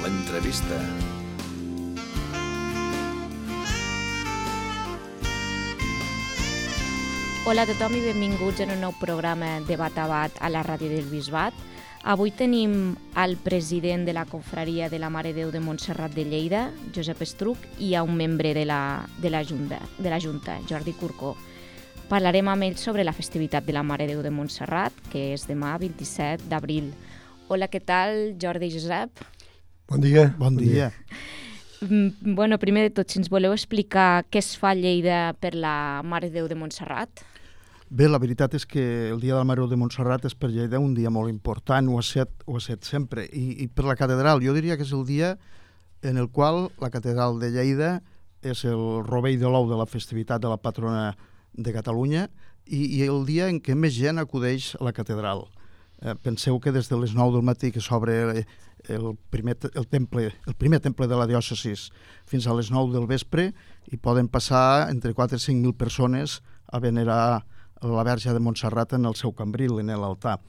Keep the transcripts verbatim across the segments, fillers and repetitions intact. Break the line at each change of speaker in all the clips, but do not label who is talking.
l'entrevista.
Hola a tothom i benvinguts en un nou programa de Bat a Bat a la ràdio del Bisbat. Avui tenim el president de la confraria de la Mare de Déu de Montserrat de Lleida, Josep Estruch, i a un membre de la, de la, Junta, de la Junta, Jordi Curcó. Parlarem amb ells sobre la festivitat de la Mare de Déu de Montserrat, que és demà, vint-i-set d'abril. Hola, què tal, Jordi i Josep?
Bon dia.
Bon dia.
Bueno, primer de tot, si ens voleu explicar què es fa a Lleida per la Mare de Déu de Montserrat?
Bé, la veritat és que el Dia de la Mare de Déu de Montserrat és per Lleida un dia molt important, ho ha set, ho ha set sempre. I, I per la catedral, jo diria que és el dia en el qual la catedral de Lleida és el rovell de l'ou de la festivitat de la patrona de Catalunya i, i el dia en què més gent acudeix a la catedral. Eh, penseu que des de les nou del matí que s'obre el primer, el, temple, el primer temple de la diòcesis fins a les nou del vespre i poden passar entre quatre i cinc mil persones a venerar la Verge de Montserrat en el seu cambril, en l'altar.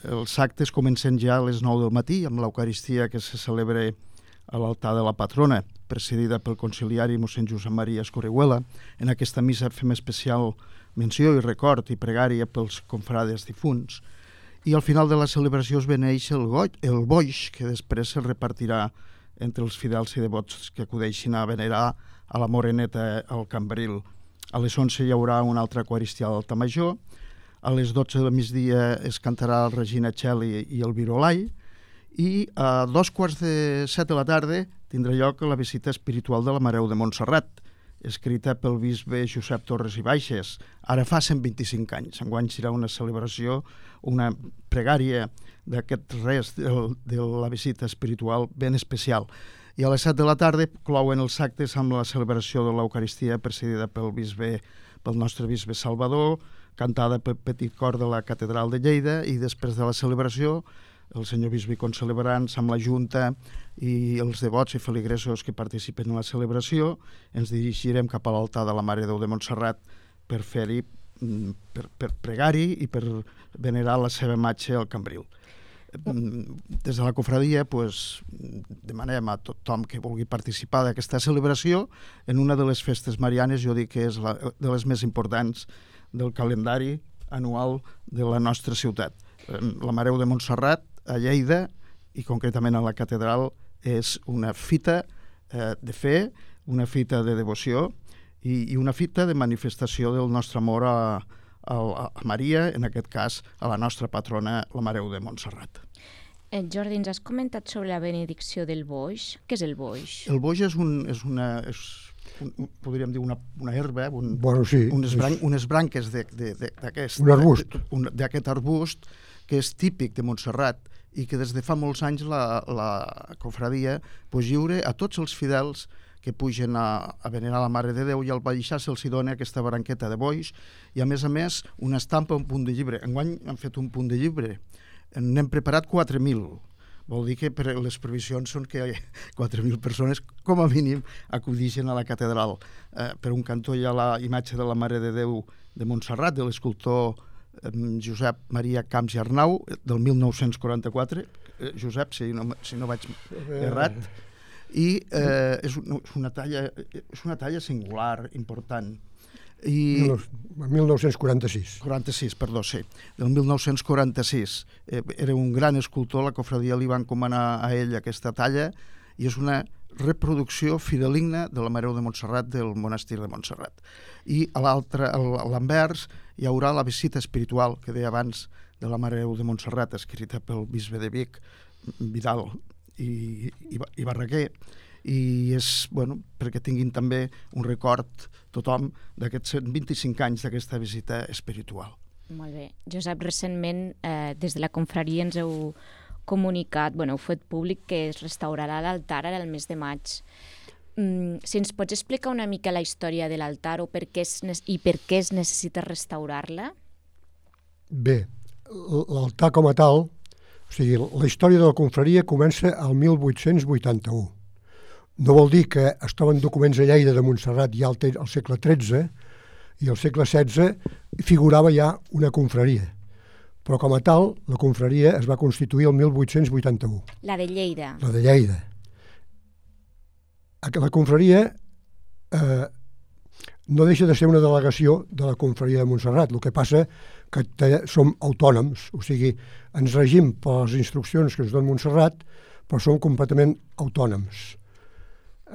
Els actes comencen ja a les nou del matí amb l'Eucaristia que se celebra a l'altar de la patrona, presidida pel conciliari mossèn Josep Maria Escorreguela. En aquesta missa fem especial menció i record i pregària pels confrades difunts. I al final de la celebració es beneix el, goig, el boix, que després es repartirà entre els fidels i devots que acudeixin a venerar a la Moreneta al cambril. A les onze hi haurà una altra Eucaristia a l'altar major, a les dotze del migdia es cantarà el Regina Coeli i el Virolai, i a dos quarts de set de la tarda tindrà lloc la visita espiritual de la Mare de Déu de Montserrat, escrita pel bisbe Josep Torres i Baixes, ara fa cent vint-i-cinc anys. Enguany serà una celebració, una pregària d'aquest res de, de la visita espiritual ben especial. I a les set de la tarda clouen els actes amb la celebració de l'Eucaristia presidida pel bisbe, pel nostre bisbe Salvador, cantada pel petit cor de la catedral de Lleida, i després de la celebració el senyor bisbe i concelebrants amb la Junta i els devots i feligresos que participen en la celebració ens dirigirem cap a l'altar de la Mare de Déu de Montserrat per fer-hi, per, per pregar-hi i per venerar la seva imatge al cambril. Des de la confraria pues, demanem a tothom que vulgui participar d'aquesta celebració en una de les festes marianes, jo dic que és la, de les més importants del calendari anual de la nostra ciutat. La Mare de Montserrat a Lleida i concretament a la catedral és una fita eh, de fe, una fita de devoció i, i una fita de manifestació del nostre amor a a Maria, en aquest cas a la nostra patrona, la Mare de Montserrat.
Eh, Jordi, ens has comentat sobre la benedicció del boix. Què és el boix?
El boix és, un, és una... És un, podríem dir una, una herba, un,
bueno, sí,
unes, bran,
és...
unes branques d'aquest
un arbust.
d'aquest arbust que és típic de Montserrat i que des de fa molts anys la, la confraria pues, lliure a tots els fidels que pugen a, a venerar la Mare de Déu i al baixar se'ls dona aquesta branqueta de boix i a més a més una estampa, un punt de llibre. Enguany han fet un punt de llibre, n'hem preparat quatre mil, vol dir que per les previsions són que quatre mil persones com a mínim acudixen a la catedral. Eh, per un cantó hi ha la imatge de la Mare de Déu de Montserrat, de l'escultor eh, Josep Maria Camps i Arnau, del mil nou-cents quaranta-quatre, eh, Josep, si no, si no vaig errat, i eh, és, una talla, és una talla singular, important. I
mil nou-cents quaranta-sis.
quaranta-sis, perdó, sí, del mil nou-cents quaranta-sis. Eh, era un gran escultor, la confraria li va encomanar a ell aquesta talla i és una reproducció fideligna de la Mare de Montserrat del monestir de Montserrat. I a l'altre, a l'anvers, hi haurà la visita espiritual que deia abans de la Mare de Montserrat, escrita pel bisbe de Vic, Vidal i, i, i Barraquer, i és, bueno, perquè tinguin també un record tothom d'aquests cent vint-i-cinc anys d'aquesta visita espiritual.
Molt bé. Josep, recentment eh, des de la confraria ens heu comunicat, bueno, heu fet públic que es restaurarà l'altar ara el mes de maig. Mm, si ens pots explicar una mica la història de l'altar o per què es, i per què es necessita restaurar-la?
Bé, l'altar com a tal, o sigui, la història de la confraria comença al mil vuit-cents vuitanta-u. No vol dir que es troben documents a Lleida de Montserrat ja al, al segle tretze i al segle setze figurava ja una confraria. Però com a tal, la confraria es va constituir el mil vuit-cents vuitanta-u.
La de Lleida.
La de Lleida. La confraria eh, no deixa de ser una delegació de la confraria de Montserrat. El que passa que te, som autònoms, o sigui, ens regim per les instruccions que ens dona Montserrat, però som completament autònoms.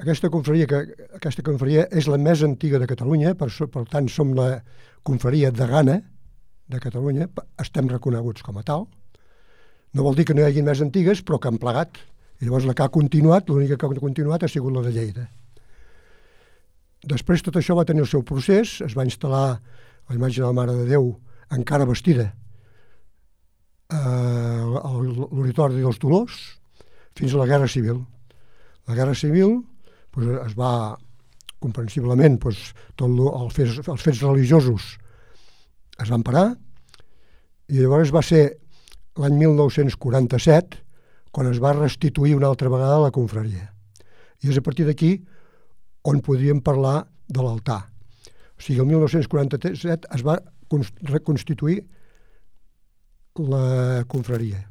Aquesta confraria, que, aquesta confraria és la més antiga de Catalunya, per, per tant som la confraria degana de Catalunya, estem reconeguts com a tal. No vol dir que no hi hagi més antigues, però que han plegat. I llavors la que ha continuat, l'única que ha continuat ha sigut la de Lleida. Després tot això va tenir el seu procés, es va instal·lar la imatge de la Mare de Déu encara vestida a l'Horitori dels Dolors fins a la Guerra Civil. La Guerra Civil doncs, es va, comprensiblement, doncs, tot el, el fets, els fets religiosos es van parar i llavors va ser l'any mil nou-cents quaranta-set quan es va restituir una altra vegada la confraria. I és a partir d'aquí on podríem parlar de l'altar. O sigui, el mil nou-cents quaranta-set es va reconstituir la confraria.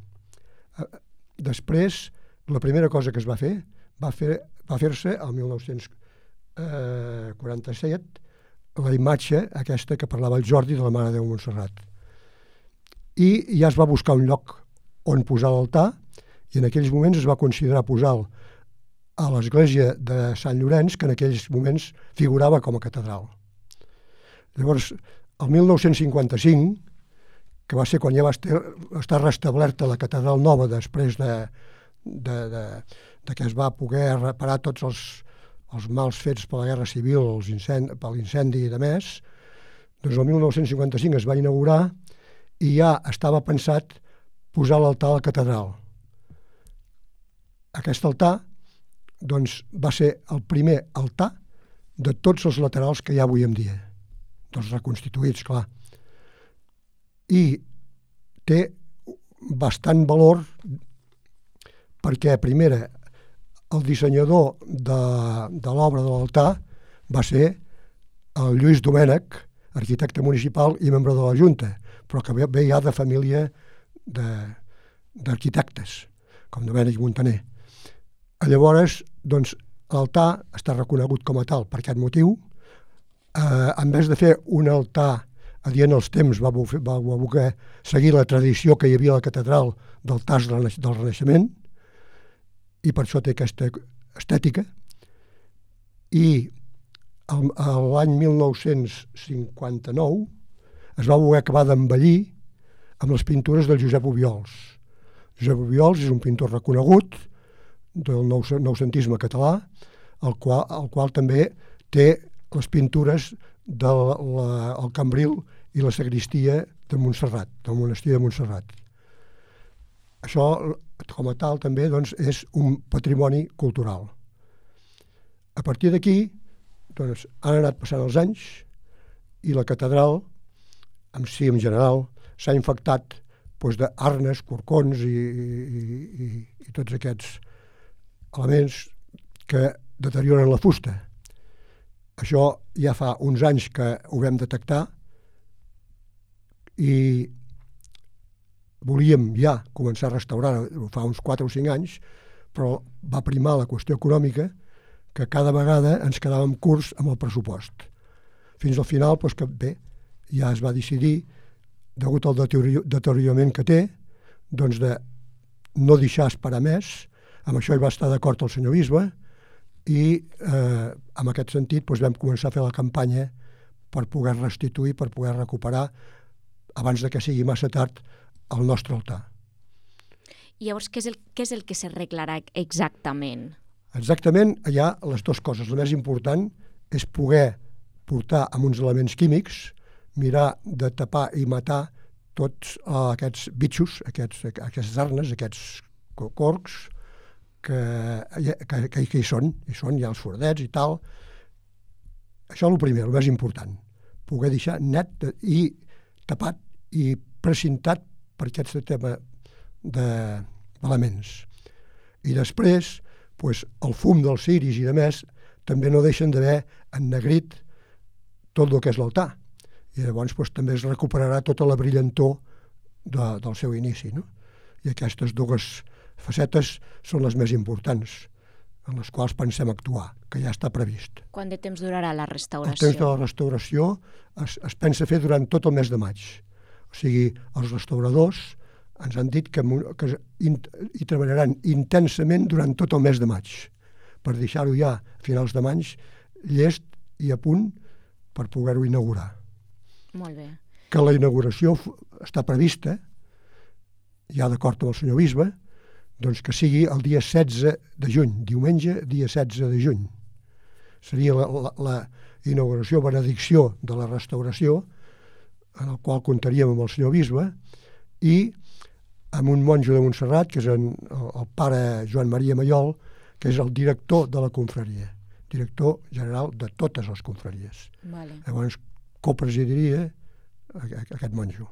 Després, la primera cosa que es va fer va fer va fer-se el mil nou-cents quaranta-set la imatge aquesta que parlava el Jordi de la Mare de Déu Montserrat. I ja es va buscar un lloc on posar l'altar i en aquells moments es va considerar posar a l'església de Sant Llorenç, que en aquells moments figurava com a catedral. Llavors, el mil nou-cents cinquanta-cinc, que va ser quan ja va estar restablerta la catedral nova després de, de, de, de que es va poder reparar tots els, els mals fets per la Guerra Civil, els incendi, per l'incendi i de més, doncs el mil nou-cents cinquanta-cinc es va inaugurar i ja estava pensat posar l'altar a la catedral. Aquest altar doncs, va ser el primer altar de tots els laterals que hi ha avui en dia, tots reconstituïts, clar. I té bastant valor perquè, primera, el dissenyador de, de l'obra de l'altar va ser el Lluís Domènech, arquitecte municipal i membre de la Junta, però que ve, ve ja de família d'arquitectes, com Domènech Montaner. Llavors, doncs, l'altar està reconegut com a tal per aquest motiu. Eh, en vez de fer un altar adient als temps, va, va, va voler seguir la tradició que hi havia a la catedral d'altars del Renaixement, i per això té aquesta estètica. I l'any mil nou-cents cinquanta-nou es va voler acabar d'embellir amb les pintures del Josep Obiols. Josep Obiols és un pintor reconegut del noucentisme català, el qual, el qual també té les pintures del la, el cambril i la sagristia de Montserrat, del monestir de Montserrat. Això, com a tal, també doncs, és un patrimoni cultural. A partir d'aquí, doncs, han anat passant els anys i la catedral, en si en general, s'ha infectat doncs, d'arnes, corcons i, i, i, i tots aquests elements que deterioren la fusta. Això ja fa uns anys que ho vam detectar i volíem ja començar a restaurar, fa uns quatre o cinc anys, però va primar la qüestió econòmica, que cada vegada ens quedàvem curts amb el pressupost. Fins al final, doncs que bé, ja es va decidir, degut al deteriorament que té, doncs de no deixar esperar més. Amb això hi va estar d'acord el senyor bisbe i eh, en aquest sentit doncs, vam començar a fer la campanya per poder restituir, per poder recuperar, abans de que sigui massa tard, el nostre altar.
I llavors, què és el, què és el que s'arreglarà exactament?
Exactament, hi ha les dues coses. El més important és poder portar amb uns elements químics, mirar de tapar i matar tots uh, aquests bitxos, aquests, aquestes arnes, aquests corcs, que, que, que, que hi són, hi són, hi ha els fordets i tal. Això és el primer, el més important. Poder deixar net i tapat i precintat per aquest tema d'elements. I després, pues, el fum dels ciris i de més també no deixen d'haver ennegrit tot el que és l'altar. I llavors pues, també es recuperarà tota la brillantor de, del seu inici. No? I aquestes dues facetes són les més importants. en les quals pensem actuar, que ja està previst.
Quant de temps durarà la restauració?
El temps de la restauració es, es pensa fer durant tot el mes de maig. O sigui, els restauradors ens han dit que, que hi treballaran intensament durant tot el mes de maig, per deixar-ho ja a finals de maig llest i a punt per poder-ho inaugurar.
Molt bé.
Que la inauguració està prevista, ja d'acord amb el senyor bisbe, doncs que sigui el dia setze de juny, diumenge, dia setze de juny. Seria la, la, la inauguració, benedicció de la restauració, en el qual comptaríem amb el senyor bisbe, i amb un monjo de Montserrat, que és en, el, el pare Joan Maria Maiol, que és el director de la confraria, director general de totes les confraries.
Vale.
Llavors, copresidiria aquest monjo.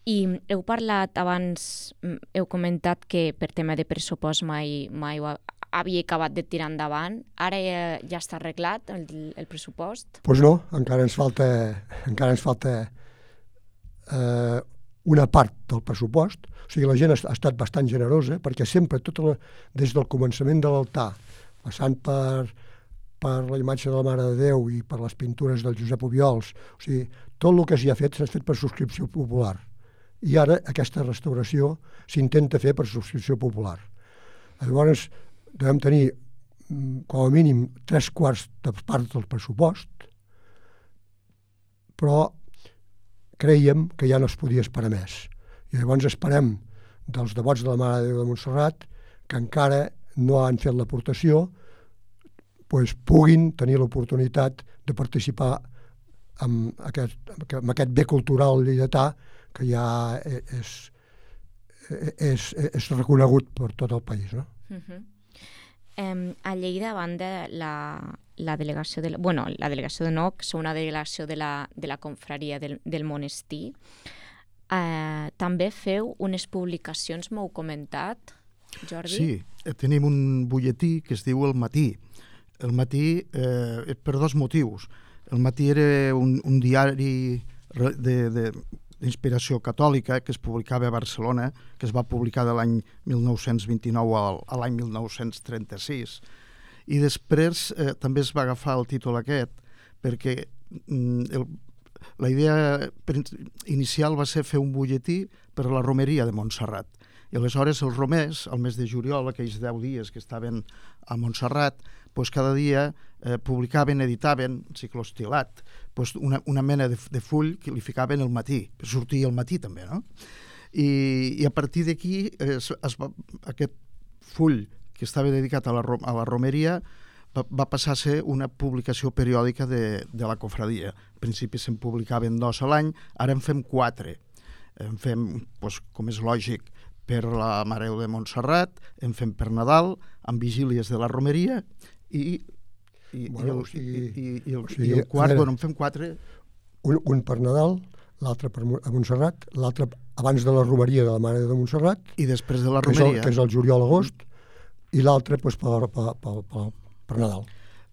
I heu parlat abans, heu comentat que per tema de pressupost mai, mai ho havia acabat de tirar endavant. Ara ja, ja està arreglat el, el pressupost?
Doncs pues no, encara ens falta, encara ens falta eh, una part del pressupost. O sigui, la gent ha estat bastant generosa, perquè sempre, tota la, des del començament de l'altar, passant per, per la imatge de la Mare de Déu i per les pintures del Josep Obiols, o sigui, tot el que s'hi ha fet s'ha fet per subscripció popular. I ara aquesta restauració s'intenta fer per subscripció popular. Llavors devem tenir com a mínim tres quarts de part del pressupost, però creiem que ja no es podia esperar més. I llavors esperem dels devots de la Mare de Déu de Montserrat, que encara no han fet l'aportació, doncs puguin tenir l'oportunitat de participar amb aquest, amb aquest bé cultural lleidatà que ja és, és, és reconegut per tot el país. No?
Uh-huh. Um, a Lleida, a banda, la, la delegació de la, bueno, la delegació de no, que és una delegació de la, de la confraria del, del monestir, uh, també feu unes publicacions, m'heu comentat, Jordi?
Sí, tenim un butlletí que es diu El Matí. El Matí eh, per dos motius. El Matí era un, un diari de, de, d'inspiració catòlica que es publicava a Barcelona, que es va publicar de l'any mil nou-cents vint-i-nou al, a l'any mil nou-cents trenta-sis. I després eh, també es va agafar el títol aquest perquè mm, el, la idea inicial va ser fer un butlletí per a la romeria de Montserrat. I aleshores els romers, al mes de juliol, aquells deu dies que estaven a Montserrat, doncs cada dia eh, publicaven, editaven, ciclostilat, doncs una, una mena de, de full que li ficaven al matí, per sortir al matí també, no? I, i a partir d'aquí eh, es, es va, aquest full que estava dedicat a la, a la romeria va, va passar a ser una publicació periòdica de, de la cofradia. Al principi se'n publicaven dos a l'any, ara en fem quatre. En fem, doncs, com és lògic, per la Mare de Montserrat, en fem per Nadal, amb vigílies de la romeria, i, i,
bueno,
i, el,
o sigui,
i, i, i, el,
o sigui,
i el quart,
veure,
bueno, en fem quatre.
Un, un per Nadal, l'altre per a Montserrat, l'altre abans de la romeria de la Mare de Montserrat,
i després de la
que
romeria.
És el, que és el juliol-agost, i l'altre doncs, per, per, per, per, per Nadal.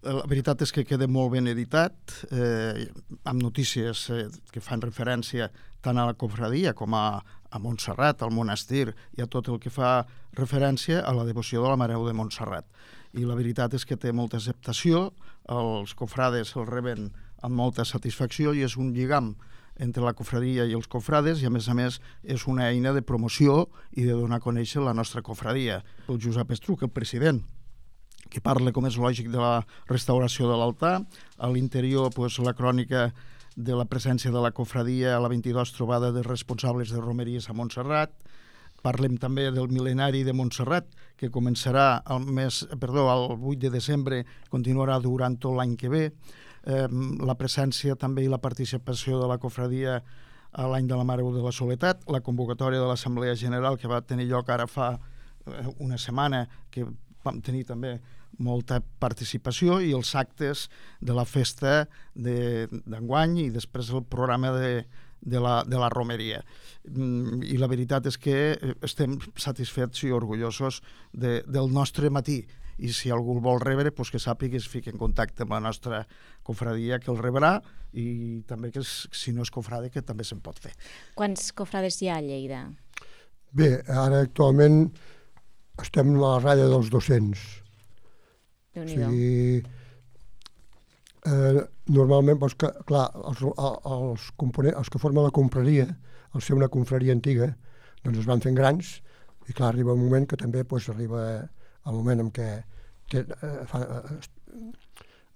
La veritat és que queda molt ben editat, eh, amb notícies eh, que fan referència tant a la cofradia com a, a Montserrat, al monestir, i a tot el que fa referència a la devoció de la Mare de Montserrat. I la veritat és que té molta acceptació, els cofrades el reben amb molta satisfacció i és un lligam entre la cofradia i els cofrades, i a més a més és una eina de promoció i de donar a conèixer la nostra cofradia. El Josep Estruc, el president, que parla, com és lògic, de la restauració de l'altar. A l'interior, doncs, la crònica de la presència de la cofradia a la vint-i-dos trobada de responsables de romeries a Montserrat. Parlem també del mil·lenari de Montserrat, que començarà el mes, perdó, el vuit de desembre, continuarà durant tot l'any que ve. Eh, la presència també i la participació de la cofradia a l'any de la Mare de la Soledat, la convocatòria de l'Assemblea General que va tenir lloc ara fa una setmana, que vam tenir també molta participació, i els actes de la festa d'enguany i després el programa de, de, la, de la romeria. I la veritat és que estem satisfets i orgullosos de, del nostre matí, i si algú el vol rebre, doncs que sàpiga que es fiqui en contacte amb la nostra cofradia, que el rebrà, i també que si no és cofrade, que també se'n pot fer.
Quants cofrades hi ha a Lleida?
Bé, ara actualment estem a la ratlla dels dos-cents. O sigui, eh, normalment, doncs, que, clar, els, els, components, els que formen la confraria, al ser una confraria antiga, doncs es van fent grans, i clar, arriba un moment que també doncs, arriba el moment en què te, eh, fan, eh,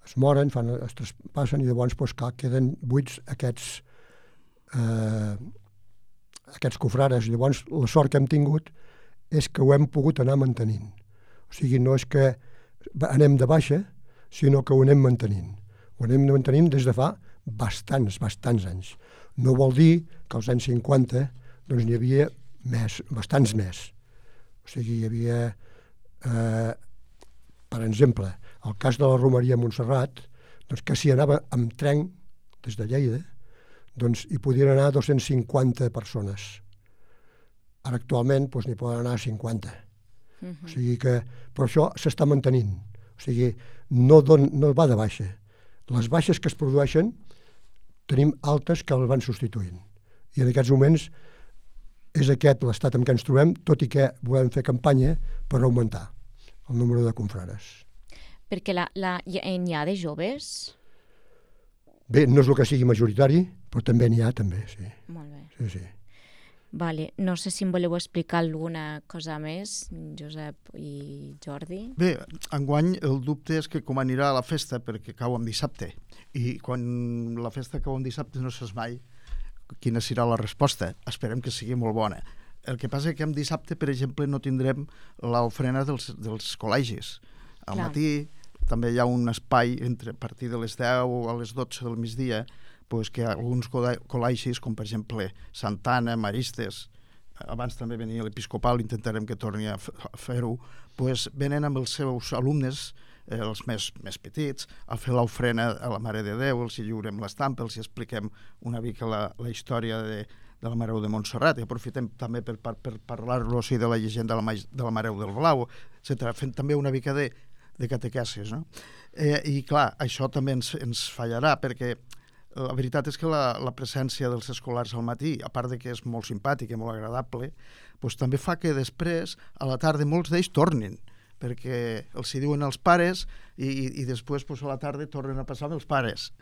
es moren, fan, es traspassen, i llavors doncs, clar, queden buits aquests eh, aquests cofrares. Llavors, la sort que hem tingut és que ho hem pogut anar mantenint. O sigui, no és que anem de baixa, sinó que ho anem mantenint. Ho anem mantenint des de fa bastants, bastants anys. No vol dir que als anys cinquanta doncs, n'hi havia més, bastants més. O sigui, hi havia, eh, per exemple, el cas de la Romeria Montserrat, doncs, que s'hi anava amb tren des de Lleida, doncs hi podien anar dos-cents cinquanta persones. Ara actualment doncs, n'hi poden anar cinquanta. Uh-huh. O sigui que, però això s'està mantenint. O sigui, no, don, no va de baixa. Les baixes que es produeixen tenim altes que les van substituint. I en aquests moments és aquest l'estat en què ens trobem, tot i que volem fer campanya per augmentar el número de confrares.
Perquè la, la, n'hi ha de joves?
Bé, no és el que sigui majoritari, però també n'hi ha, també, sí.
Molt bé.
Sí, sí.
Vale. No sé si em voleu explicar alguna cosa més, Josep i Jordi.
Bé, enguany el dubte és que com anirà la festa, perquè cau en dissabte, i quan la festa cau en dissabte no saps mai quina serà la resposta. Esperem que sigui molt bona. El que passa és que en dissabte, per exemple, no tindrem l'ofrena dels, dels col·legis. Al
Clar.
matí també hi ha un espai entre a partir de les deu a les dotze del migdia, pues que alguns col·legis, com per exemple Santana, Maristes, abans també venia l'Episcopal, intentarem que torni a fer-ho, pues venen amb els seus alumnes, eh, els més, més petits, a fer l'ofrena a la Mare de Déu, els hi lliurem l'estampa, els hi expliquem una mica la, la història de, de la Mare de Montserrat, i aprofitem també per, per, per parlar-los de la llegenda de la, de la Mare del Blau, etcètera, fent també una mica de, de catequesis, no? Eh, I clar, això també ens, ens fallarà, perquè la veritat és que la, la presència dels escolars al matí, a part de que és molt simpàtic i molt agradable, doncs també fa que després, a la tarda, molts d'ells tornin, perquè els hi diuen als pares i, i, i després doncs, a la tarda tornen a passar amb els pares.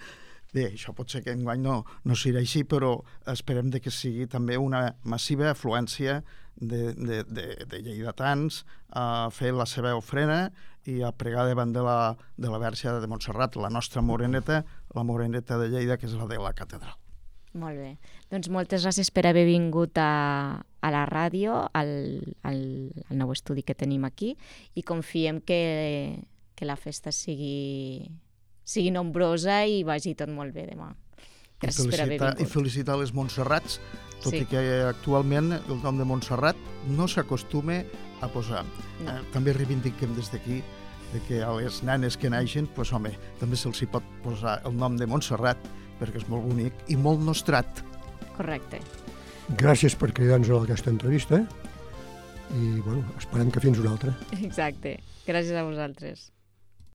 Bé, això pot ser que enguany no, no serà així, però esperem de que sigui també una massiva afluència de, de, de, de lleidatans a fer la seva ofrena i a pregar davant de la, de la Verge de Montserrat, la nostra moreneta, la moreneta de Lleida, que és la de la catedral.
Molt bé. Doncs moltes gràcies per haver vingut a, a la ràdio, al, al, al nou estudi que tenim aquí, i confiem que, que la festa sigui, sigui nombrosa i vagi tot molt bé demà. Gràcies per haver vingut.
I felicitar les Montserrats, tot
Sí.
i que actualment el nom de Montserrat no s'acostuma a posar.
No.
Eh, també reivindiquem des d'aquí de que a les nenes que naixen, pues, home, també se'ls hi pot posar el nom de Montserrat, perquè és molt bonic i molt nostrat.
Correcte.
Gràcies per cridar-nos a aquesta entrevista i bueno, esperem que fins una altra.
Exacte. Gràcies a vosaltres.